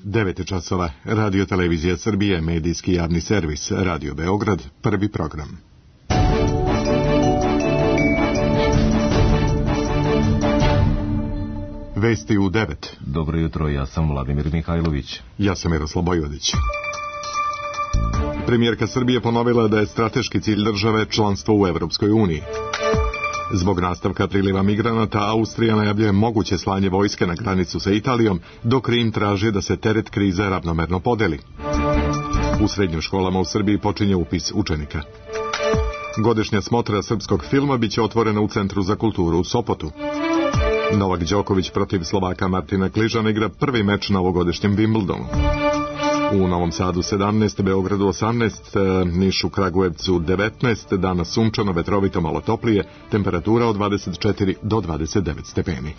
9 časova. Radio Televizija Srbije, medijski javni servis, Radio Beograd, prvi program. Vesti u 9. Dobro jutro, ja sam Vladimir Mihajlović. Ja sam Miroslav Bojvodić. Premijerka Srbije ponovila da je strateški cilj države članstvo u Evropskoj uniji. Zbog nastavka priliva migranata, Austrija najavljuje moguće slanje vojske na granicu sa Italijom, dok Rim traži da se teret krize ravnomerno podeli. U srednjim školama u Srbiji počinje upis učenika. Godišnja smotra srpskog filma biće otvorena u Centru za kulturu u Sopotu. Novak Đoković protiv Slovaka Martina Kližana igra prvi meč na ovogodišnjem Wimbledonu. U Novom Sadu 17, Beogradu 18, Nišu, Kragujevcu 19, danas sunčano, vetrovito, malo toplije, temperatura od 24 do 29 stepeni.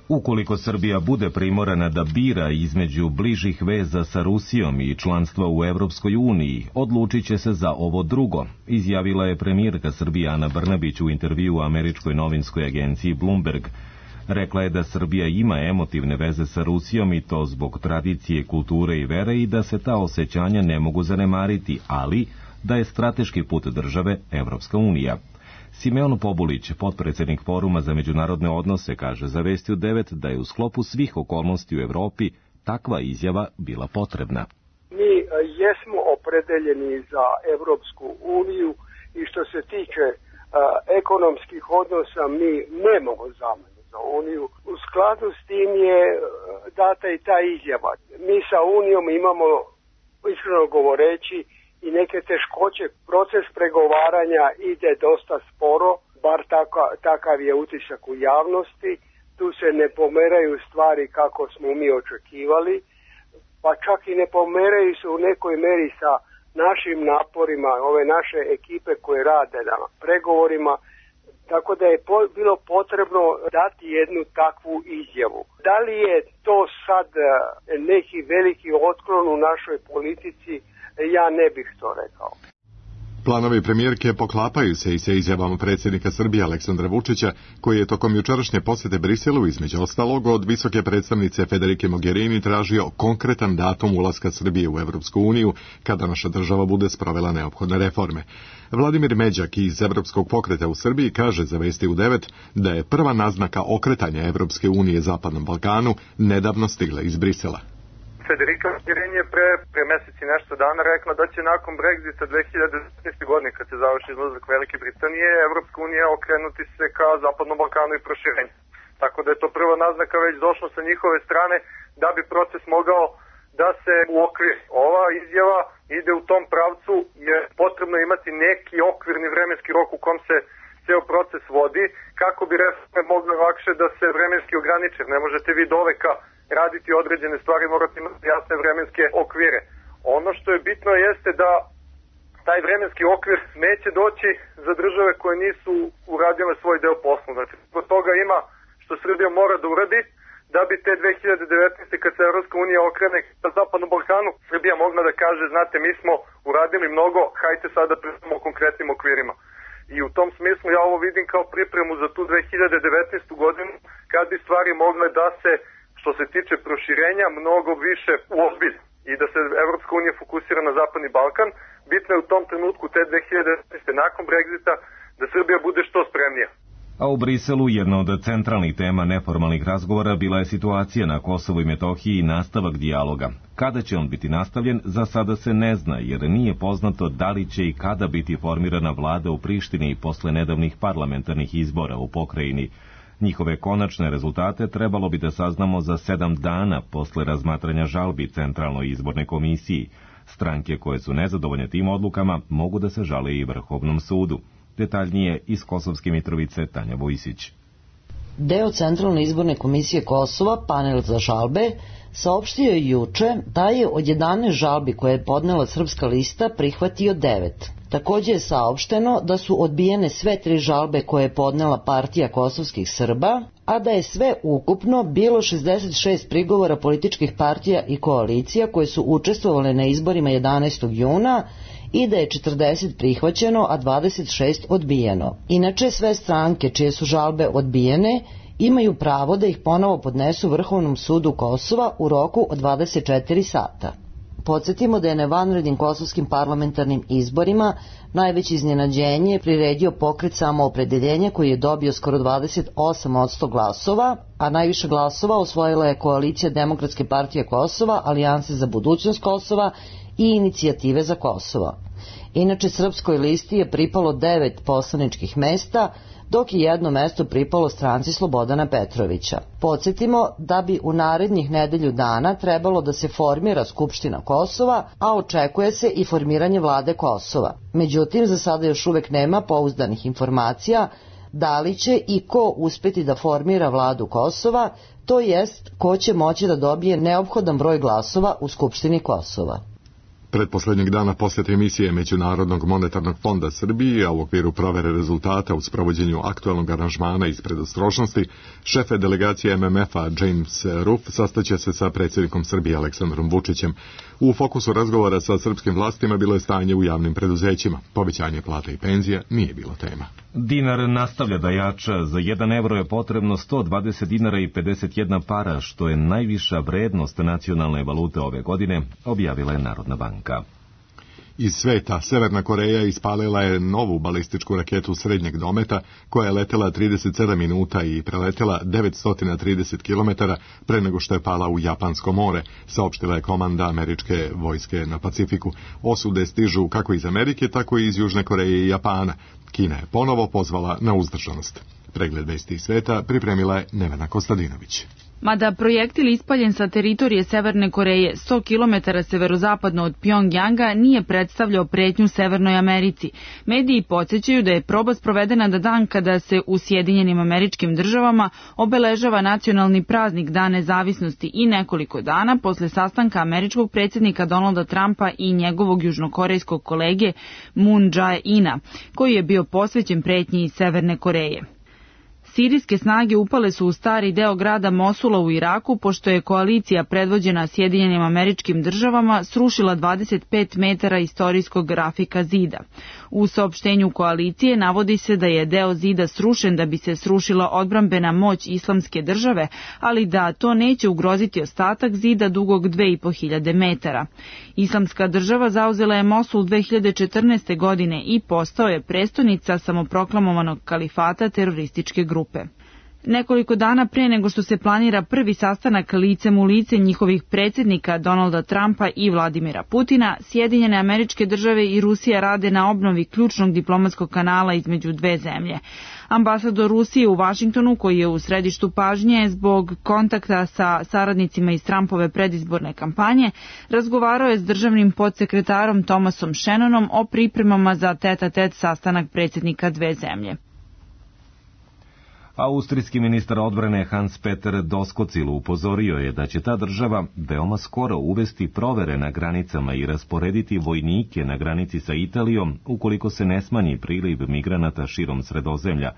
Ukoliko Srbija bude primorana da bira između bližih veza sa Rusijom i članstva u Evropskoj uniji, odlučit će se za ovo drugo, izjavila je premijerka Srbije Ana Brnabić u intervjuu američkoj novinskoj agenciji Bloomberg. Rekla je da Srbija ima emotivne veze sa Rusijom i to zbog tradicije, kulture i vere i da se ta osjećanja ne mogu zanemariti, ali da je strateški put države Evropska unija. Simeon Pobulić, potpredsjednik Foruma za međunarodne odnose, kaže za Vesti u 9 da je u sklopu svih okolnosti u Evropi takva izjava bila potrebna. Mi jesmo opredeljeni za Evropsku uniju i što se tiče ekonomskih odnosa mi nemamo zamenu za uniju. U skladu s tim je data i ta izjava. Mi sa unijom imamo, iskreno govoreći, i neke teškoće. Proces pregovaranja ide dosta sporo, bar takav je utisak u javnosti. Tu se ne pomeraju stvari kako smo mi očekivali, pa čak i ne pomeraju se u nekoj meri sa našim naporima, ove naše ekipe koje rade na pregovorima, tako da je bilo potrebno dati jednu takvu izjavu. Da li je to sad neki veliki otklon u našoj politici, ja ne bih to rekao. Planovi premijerke poklapaju se i sa izjavama predsjednika Srbije Aleksandra Vučića, koji je tokom jučerašnje posjete Briselu između ostalog od visoke predstavnice Federike Mogherini tražio konkretan datum ulaska Srbije u Evropsku uniju kada naša država bude sprovela neophodne reforme. Vladimir Međak iz Evropskog pokreta u Srbiji kaže za Vesti u 9 da je prva naznaka okretanja Evropske unije Zapadnom Balkanu nedavno stigla iz Brisela. Federika Mogherini je pre mesec i nešto dana rekla da će nakon Brexita 2019. godine, kad se završi izlazak Velike Britanije, Evropska unija okrenuti se ka Zapadnom Balkanu i proširenju. Tako da je to prva naznaka već došla sa njihove strane da bi proces mogao da se uokviri. Ova izjava ide u tom pravcu jer potrebno imati neki okvirni vremenski rok u kom se ceo proces vodi, kako bi reforme mogle lakše da se vremenski ograniče. Ne možete vi do veka raditi određene stvari, morate imati jasne vremenske okvire. Ono što je bitno jeste da taj vremenski okvir neće doći za države koje nisu uradile svoj deo posla. Znači, zbog toga ima što Srbija mora da uradi da bi te 2019. kad se Evropska unija okrene na Zapadnom Balkanu, Srbija mogla da kaže, znate, mi smo uradili mnogo, hajte sada pričamo o konkretnim okvirima. I u tom smislu ja ovo vidim kao pripremu za tu 2019. godinu, kad bi stvari mogle da se, što se tiče proširenja, mnogo više uozbilje i da se Evropska unija fokusira na Zapadni Balkan. Bitno je u tom trenutku te 2019. nakon Brexita da Srbija bude što spremnija. A u Briselu jedna od centralnih tema neformalnih razgovora bila je situacija na Kosovu i Metohiji i nastavak dijaloga. Kada će on biti nastavljen, za sada se ne zna, jer nije poznato da li će i kada biti formirana vlada u Prištini posle nedavnih parlamentarnih izbora u pokrajini. Njihove konačne rezultate trebalo bi da saznamo za 7 dana posle razmatranja žalbi Centralnoj izbornoj komisiji. Stranke koje su nezadovoljne tim odlukama mogu da se žale i Vrhovnom sudu. Detaljnije iz Kosovske Mitrovice Tanja Vojsić. Deo Centralne izborne komisije Kosova, panel za žalbe, saopštio je juče da je od 11 žalbi koje je podnela Srpska lista prihvatio 9. Također je saopšteno da su odbijene sve 3 žalbe koje je podnela partija kosovskih Srba, a da je sve ukupno bilo 66 prigovora političkih partija i koalicija koje su učestvovale na izborima 11. juna i da je 40 prihvaćeno, a 26 odbijeno. Inače, sve stranke čije su žalbe odbijene imaju pravo da ih ponovo podnesu Vrhovnom sudu Kosova u roku od 24 sata. Podsjetimo da je na vanrednim kosovskim parlamentarnim izborima najveće iznenađenje priredio pokret Samoopredeljenja koji je dobio skoro 28% glasova, a najviše glasova osvojila je koalicija Demokratske partije Kosova, Alijanse za budućnost Kosova i Inicijative za Kosovo. Inače, Srpskoj listi je pripalo 9 poslaničkih mesta, dok je jedno mesto pripalo stranci Slobodana Petrovića. Podsjetimo da bi u narednih nedelju dana trebalo da se formira Skupština Kosova, a očekuje se i formiranje vlade Kosova. Međutim, za sada još uvek nema pouzdanih informacija da li će i ko uspeti da formira vladu Kosova, to jest ko će moći da dobije neophodan broj glasova u Skupštini Kosova. Pretposlednjeg dana posjete emisije Međunarodnog monetarnog fonda Srbiji, a u okviru provere rezultata u sprovođenju aktualnog aranžmana iz predostrožnosti, šefe delegacije MMF-a James Ruff sastaće se sa predsjednikom Srbije Aleksandrom Vučićem. U fokusu razgovora sa srpskim vlastima bilo je stanje u javnim preduzećima. Povećanje plata i penzija nije bilo tema. Dinar nastavlja da jača. Za 1 evro je potrebno 120 dinara i 51 para, što je najviša vrednost nacionalne valute ove godine, objavila je Narodna banka. Iz sveta, Severna Koreja ispalila je novu balističku raketu srednjeg dometa koja je letela 37 minuta i preletela 930 km pre nego što je pala u Japansko more, saopštila je komanda američke vojske na Pacifiku. Osude stižu kako iz Amerike, tako i iz Južne Koreje i Japana. Kina je ponovo pozvala na uzdržanost. Pregled vesti iz sveta pripremila je Nevena Kostadinović. Mada projektil ispaljen sa teritorije Severne Koreje 100 km severozapadno od Pjongjanga nije predstavljao pretnju Severnoj Americi. Mediji podsjećaju da je proba sprovedena na dan kada se u Sjedinjenim Američkim Državama obeležava nacionalni praznik Dan nezavisnosti i nekoliko dana posle sastanka američkog predsjednika Donalda Trumpa i njegovog južnokorejskog kolege Moon Jae-ina, koji je bio posvećen pretnji iz Severne Koreje. Sirijske snage upale su u stari deo grada Mosula u Iraku, pošto je koalicija predvođena Sjedinjenim Američkim Državama srušila 25 metara istorijskog grafika zida. U saopštenju koalicije navodi se da je deo zida srušen da bi se srušila odbrambena moć Islamske države, ali da to neće ugroziti ostatak zida dugog 2500 metara. Islamska država zauzela je Mosul 2014. godine i postao je prestonica samoproklamovanog kalifata terorističke grupe. Nekoliko dana pre nego što se planira prvi sastanak licem u lice njihovih predsjednika Donalda Trumpa i Vladimira Putina, Sjedinjene Američke Države i Rusija rade na obnovi ključnog diplomatskog kanala između dve zemlje. Ambasador Rusije u Vašingtonu, koji je u središtu pažnje zbog kontakta sa saradnicima iz Trumpove predizborne kampanje, razgovarao je s državnim podsekretarom Thomasom Shannonom o pripremama za tet-a-tet sastanak predsjednika dve zemlje. Austrijski ministar odbrane Hans-Peter Doskozil upozorio je da će ta država veoma skoro uvesti provere na granicama i rasporediti vojnike na granici sa Italijom ukoliko se ne smanji priliv migranata širom Sredozemlja.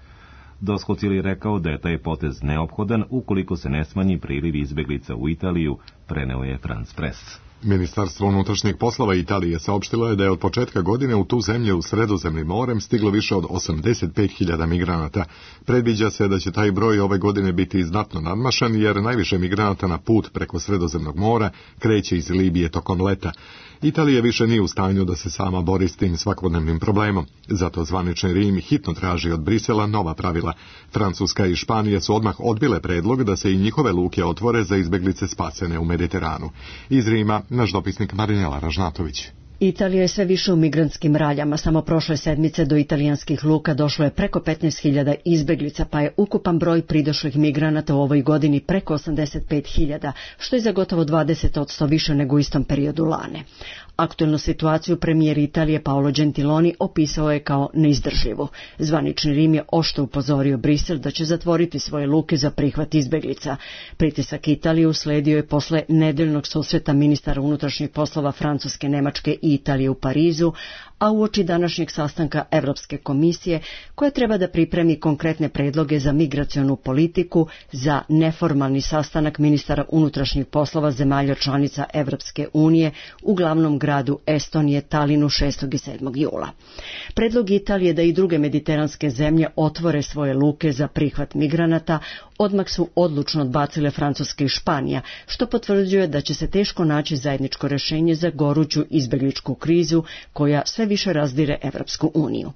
Doskozil je rekao da je taj potez neophodan ukoliko se ne smanji priliv izbeglica u Italiju, preneo je France Press. Ministarstvo unutrašnjih poslova Italije saopštilo je da je od početka godine u tu zemlju Sredozemnim morem stiglo više od 85.000 migranata. Predviđa se da će taj broj ove godine biti znatno nadmašan jer najviše migranata na put preko Sredozemnog mora kreće iz Libije tokom leta. Italija više nije u stanju da se sama bori s tim svakodnevnim problemom. Zato zvanični Rim hitno traži od Brisela nova pravila. Francuska i Španija su odmah odbile predlog da se i njihove luke otvore za izbeglice spasene u Mediteranu. Iz Rima naš dopisnik Marinela Ražnatović. Italija je sve više u migrantskim raljama. Samo prošle sedmice do italijanskih luka došlo je preko 15.000 izbeglica, pa je ukupan broj pridošlih migranata u ovoj godini preko 85.000, što je za gotovo 20% više nego u istom periodu lane. Aktuelnu situaciju premijer Italije Paolo Gentiloni opisao je kao neizdrživu. Zvanični Rim je oštro upozorio Brisel da će zatvoriti svoje luke za prihvat izbeglica. Pritisak Italije usledio je posle nedeljnog susreta ministara unutrašnjih poslova Francuske, Nemačke i Italije u Parizu, a uoči današnjeg sastanka Evropske komisije, koja treba da pripremi konkretne predloge za migracionu politiku za neformalni sastanak ministara unutrašnjih poslova zemalja članica Evropske unije u glavnom gradu Estonije, Talinu, 6. i 7. jula. Predlog Italije da i druge mediteranske zemlje otvore svoje luke za prihvat migranata Odmah su odlučno odbacile Francuska i Španija, što potvrđuje da će se teško naći zajedničko rješenje za goruću izbjegličku krizu koja sve više razdire Evropsku uniju.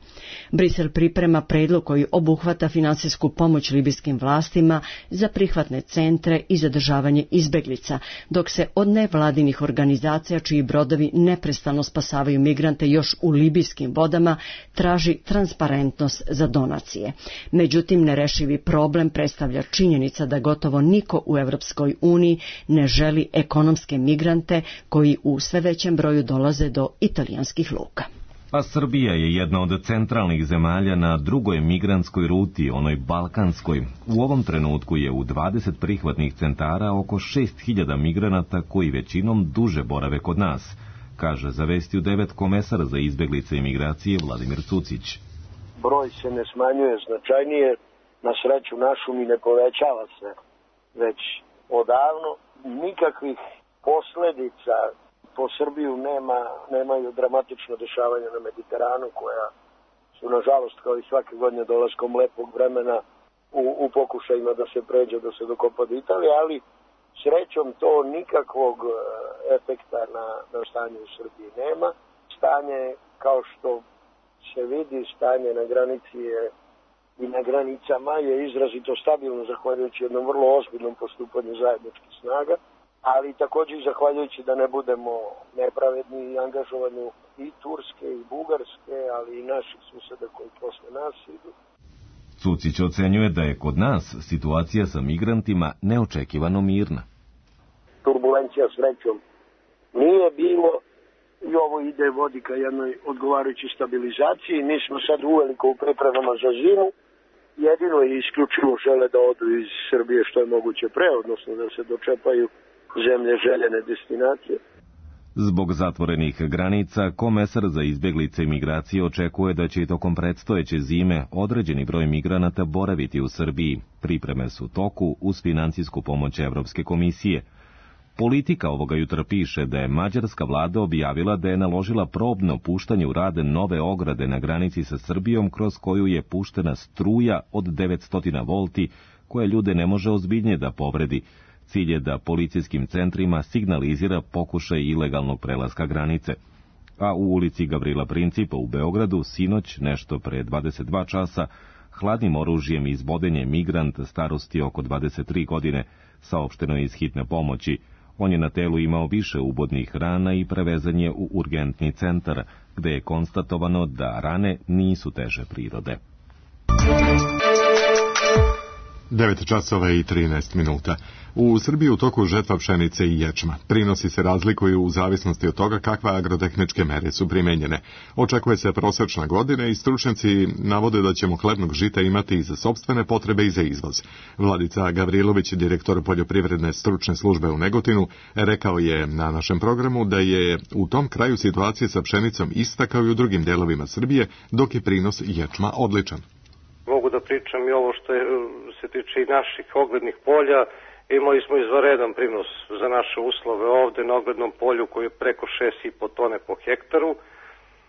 Brisel priprema predlog koji obuhvata finansijsku pomoć libijskim vlastima za prihvatne centre i zadržavanje izbjeglica, dok se od nevladinih organizacija čiji brodovi neprestano spasavaju migrante još u libijskim vodama traži transparentnost za donacije. Međutim, nerešivi problem predstavlja činjenica da gotovo niko u Evropskoj uniji ne želi ekonomske migrante koji u sve većem broju dolaze do italijanskih luka. A Srbija je jedna od centralnih zemalja na drugoj migrantskoj ruti, onoj balkanskoj. U ovom trenutku je u 20 prihvatnih centara oko 6.000 migranata koji većinom duže borave kod nas, kaže za Vesti u 9 komesar za izbjeglice i migracije Vladimir Cucić. Broj se ne smanjuje značajnije, na sreću našu mi ne povećava se već odavno. Nikakvih posljedica po Srbiju nemaju dramatično dešavanja na Mediteranu koja su nažalost kao i svake godine dolaskom lepog vremena u pokušajima da se pređe, da se dokopa do Italije, ali srećom to nikakvog efekta na stanje u Srbiji nema. Stanje, kao što se vidi, stanje na granici je i na granicama je izrazito stabilno zahvaljujući jednom vrlo ozbiljnom postupanju zajedničkih snaga, ali također i zahvaljujući da ne budemo nepravedni i angažovanju i Turske i Bugarske, ali i naših susjeda koji posle nas idu. Cucić ocenjuje da je kod nas situacija sa migrantima neočekivano mirna. Turbulencija srećom nije bilo i ovo ide vodi ka jednoj odgovarajućoj stabilizaciji. Mi smo sad uveliko u pripremama za zimu. Jedino i isključivo žele da odu iz Srbije što je moguće pre, odnosno da se dočepaju zemlje željene destinacije. Zbog zatvorenih granica, komesar za izbjeglice i migracije očekuje da će i tokom predstojeće zime određeni broj migranata boraviti u Srbiji. Pripreme su u toku uz financijsku pomoć Evropske komisije. Politika ovoga jutra piše da je mađarska vlada objavila da je naložila probno puštanje u rad nove ograde na granici sa Srbijom kroz koju je puštena struja od 900 volti koja ljude ne može ozbiljnije da povredi. Cilj je da policijskim centrima signalizira pokušaj ilegalnog prelaska granice. A u ulici Gavrila Principa u Beogradu sinoć, nešto pre 22 časa, hladnim oružjem izboden je migrant starosti oko 23 godine, saopšteno je iz hitne pomoći. On je na telu imao više ubodnih rana i prevezan je u urgentni centar, gde je konstatovano da rane nisu teže prirode. 9 časova i 13 minuta. U Srbiji u toku žetva pšenice i ječma. Prinosi se razlikuju u zavisnosti od toga kakve agrotehničke mere su primenjene. Očekuje se prosečna godina i stručnjaci navode da ćemo hlebnog žita imati i za sopstvene potrebe i za izvoz. Vladica Gavrilović, direktor poljoprivredne stručne službe u Negotinu, rekao je na našem programu da je u tom kraju situacija sa pšenicom ista kao i u drugim delovima Srbije, dok je prinos ječma odličan. Mogu da pričam i ovo što se tiče i naših oglednih polja. Imali smo izvanredan prinos za naše uslove ovde na oglednom polju koji je preko 6,5 tone po hektaru.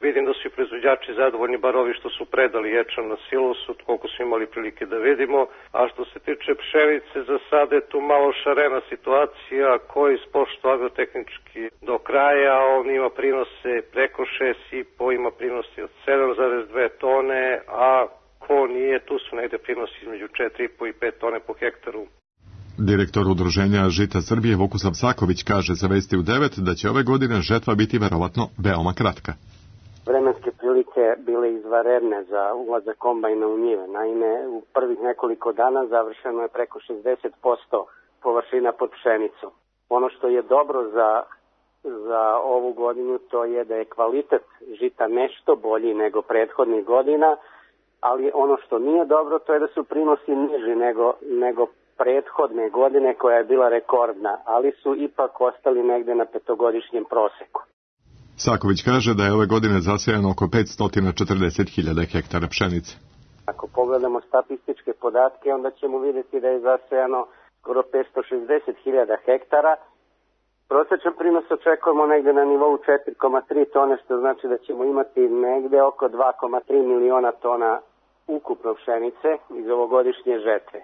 Vidim da su i proizvođači zadovoljni, bar ovi što su predali ječam na silosu, koliko su imali prilike da vidimo. A što se tiče pšenice, za sada je tu malo šarena situacija, koji ispošta agrotehnički do kraja. On ima prinose preko 6,5, ima prinose od 7,2 tone, a ko nije, tu su negde prinosi između 4,5 i 5 tone po hektaru. Direktor udruženja Žita Srbije Vukusav Saković kaže za Vesti u 9 da će ove godine žetva biti verovatno veoma kratka. Vremenske prilike bile izvanredne za ulazak kombajna u njive. Naime, u prvih nekoliko dana završeno je preko 60% površina pod pšenicom. Ono što je dobro za ovu godinu to je da je kvalitet žita nešto bolji nego prethodnih godina, ali ono što nije dobro to je da su prinosi niži nego prethodne godine koja je bila rekordna, ali su ipak ostali negde na petogodišnjem proseku. Saković kaže da je ove godine zasejano oko 540.000 hektara pšenice. Ako pogledamo statističke podatke, onda ćemo vidjeti da je zasejano skoro 560.000 hektara. Prosječan prinos očekujemo negde na nivou 4,3 tone, što znači da ćemo imati negde oko 2,3 miliona tona ukupno pšenice iz ovogodišnje žetve.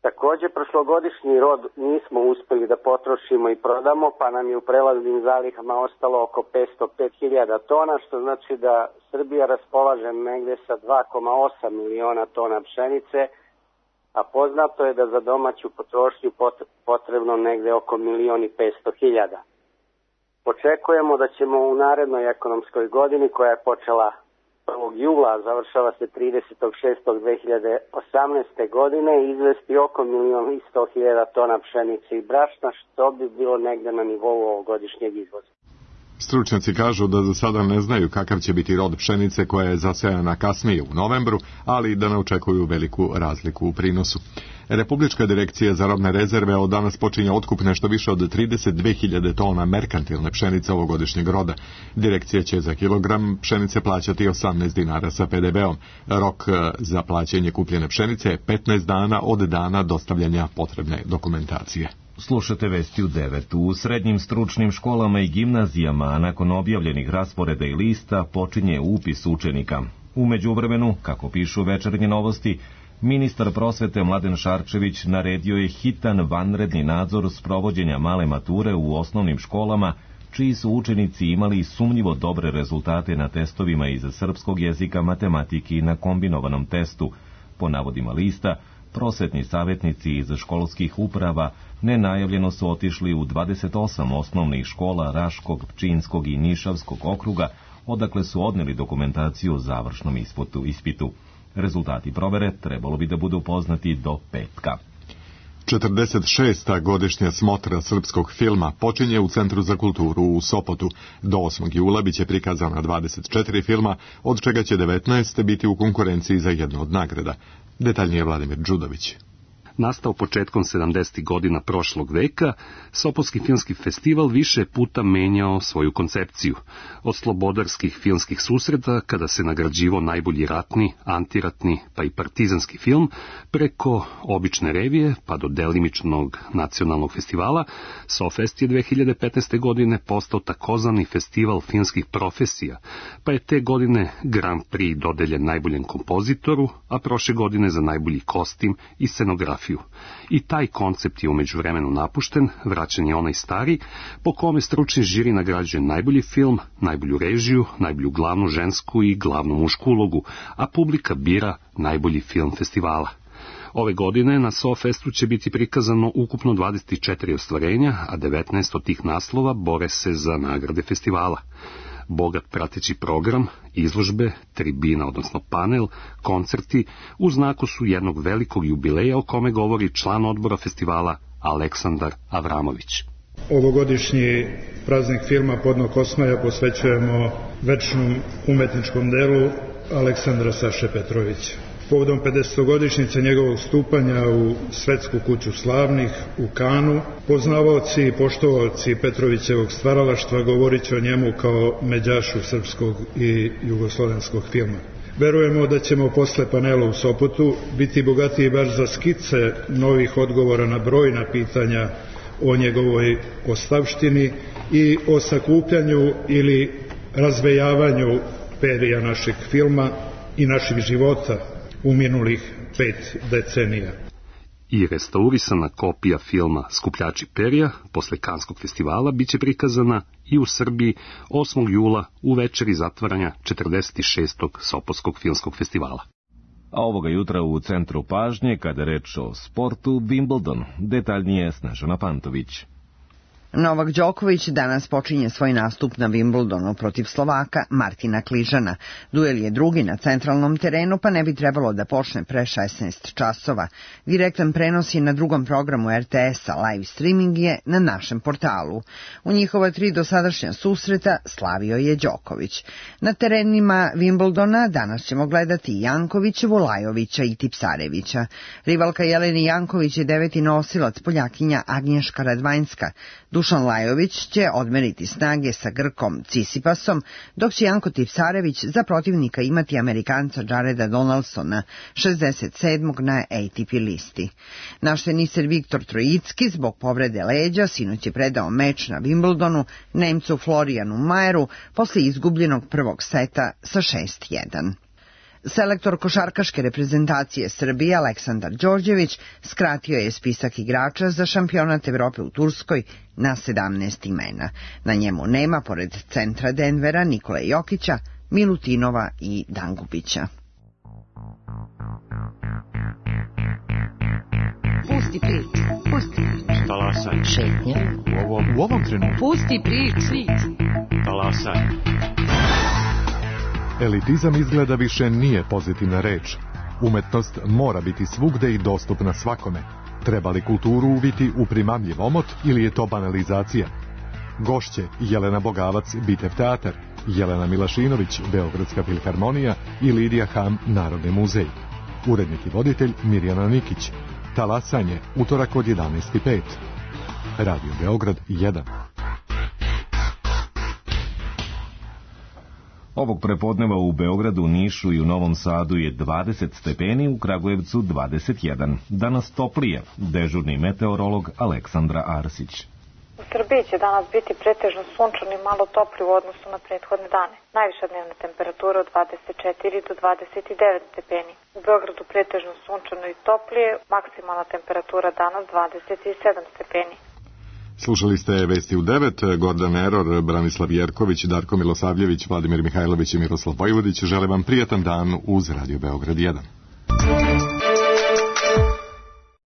Takođe, prošlogodišnji rod nismo uspeli da potrošimo i prodamo, pa nam je u prelaznim zalihama ostalo oko 505.000 tona, što znači da Srbija raspolaže negde sa 2,8 miliona tona pšenice, a poznato je da za domaću potrošnju potrebno negde oko 1.500.000. Očekujemo da ćemo u narednoj ekonomskoj godini, koja je počela 1. jula, završava se 30.6.2018. godine, izvesti oko 1.100.000 tona pšenice i brašna, što bi bilo negde na nivou ovogodišnjeg izvoza. Stručnjaci kažu da za sada ne znaju kakav će biti rod pšenice koja je zasejana kasnije u novembru, ali da ne očekuju veliku razliku u prinosu. Republička direkcija za robne rezerve od danas počinje otkup nešto više od 32.000 tona merkantilne pšenice ovogodišnjeg roda. Direkcija će za kilogram pšenice plaćati 18 dinara sa PDV-om. Rok za plaćanje kupljene pšenice je 15 dana od dana dostavljanja potrebne dokumentacije. Slušate vesti u 9. U srednjim stručnim školama i gimnazijama, nakon objavljenih rasporeda i lista, počinje upis učenika. U međuvremenu, kako pišu Večernje novosti, ministar prosvete Mladen Šarčević naredio je hitan vanredni nadzor sprovođenja male mature u osnovnim školama, čiji su učenici imali sumnjivo dobre rezultate na testovima iz srpskog jezika, matematike i na kombinovanom testu. Po navodima lista, prosvetni savjetnici iz školskih uprava nenajavljeno su otišli u 28 osnovnih škola Raškog, Pčinskog i Nišavskog okruga, odakle su odneli dokumentaciju o završnom ispitu. Rezultati provere trebalo bi da budu poznati do petka. 46. godišnja smotra srpskog filma počinje u Centru za kulturu u Sopotu. Do 8. jula biće prikazana 24 filma, od čega će 19 biti u konkurenciji za jednu od nagrada. Detaljnije Vladimir Đudović. Nastao početkom 70. godina prošlog veka, Sopotski filmski festival više puta menjao svoju koncepciju. Od slobodarskih filmskih susreta, kada se nagrađivao najbolji ratni, antiratni pa i partizanski film, preko obične revije pa do delimičnog nacionalnog festivala, Sofest je 2015. godine postao takozvani festival filmskih profesija, pa je te godine Grand Prix dodeljen najboljem kompozitoru, a prošle godine za najbolji kostim i scenografiju. I taj koncept je u međuvremenu napušten, vraćen je onaj stari, po kome stručni žiri nagrađuje najbolji film, najbolju režiju, najbolju glavnu žensku i glavnu mušku ulogu, a publika bira najbolji film festivala. Ove godine na Sofestu će biti prikazano ukupno 24 ostvarenja, a 19 od tih naslova bore se za nagrade festivala. Bogat prateći program, izložbe, tribina, odnosno panel, koncerti u znaku su jednog velikog jubileja o kome govori član odbora festivala Aleksandar Avramović. Ovogodišnji praznik filma Podnog Kosmaja posvećujemo večnom umetničkom delu Aleksandra Saše Petrovića. Povodom 50-godišnjice njegovog stupanja u Svetsku kuću slavnih u Kanu, poznavaoci i poštovaoci Petrovićevog stvaralaštva govorit će o njemu kao međašu srpskog i jugoslovenskog filma. Verujemo da ćemo posle panela u Sopotu biti bogatiji baš za skice novih odgovora na brojna pitanja o njegovoj ostavštini i o sakupljanju ili razvejavanju perija našeg filma i naših života u minulih 5 decenija. I restaurisana kopija filma Skupljači perja posle Kanskog festivala biće prikazana i u Srbiji 8. jula u večeri zatvaranja 46. Sopotskog filmskog festivala. A ovoga jutra u centru pažnje, kada reč o sportu, Wimbledon, detaljnije Snežana Pantović. Novak Đoković danas počinje svoj nastup na Wimbledonu protiv Slovaka Martina Kližana. Duel je drugi na centralnom terenu, pa ne bi trebalo da počne pre 16 časova. Direktan prenos je na drugom programu RTS-a, live streaming je na našem portalu. U njihova 3 dosadašnja susreta slavio je Đoković. Na terenima Wimbledona danas ćemo gledati Janković, Volajovića i Tipsarevića. Rivalka Jeleni Janković je 9. nosilac, Poljakinja Agnješka Radvanjska. Dušan Lajović će odmeriti snage sa Grkom Cisipasom, dok će Janko Tipsarević za protivnika imati Amerikanca Jareda Donaldsona, 67. na ATP listi. Naš teniser Viktor Trojicki zbog povrede leđa sinoć je predao meč na Wimbledonu Nemcu Florijanu Majeru posle izgubljenog prvog seta sa 6-1. Selektor košarkaške reprezentacije Srbije Aleksandar Đorđević skratio je spisak igrača za šampionat Evrope u Turskoj na 17 imena. Na njemu nema, pored centra Denvera, Nikole Jokića, Milutinova i Dangubića. Pusti priču, pusti priču. Talasaj. Šetnja. U ovom trenutku. Pusti priču. Talasaj. Elitizam izgleda više nije pozitivna reč. Umetnost mora biti svugde i dostupna svakome. Treba li kulturu uviti u primamljiv omot ili je to banalizacija? Gošće Jelena Bogavac, Bitev teatar, Jelena Milašinović, Beogradska filharmonija i Lidija Ham, Narodni muzej. Urednik i voditelj Mirjana Nikić. Talasanje, utorak od 11:05. Radio Beograd 1. Ovog prepodneva u Beogradu, Nišu i u Novom Sadu je 20 stepeni, u Kragujevcu 21. Danas toplije, dežurni meteorolog Aleksandra Arsić. U Srbiji će danas biti pretežno sunčano i malo topli u odnosu na prethodne dane. Najviša dnevna temperatura od 24 do 29 stepeni. U Beogradu pretežno sunčano i toplije, maksimalna temperatura danas 27 stepeni. Slušali ste Vesti u 9, Gordan Eror, Branislav Jerković, Darko Milosavljević, Vladimir Mihajlović i Miroslav Vojvodić. Žele vam prijatan dan uz Radio Beograd 1.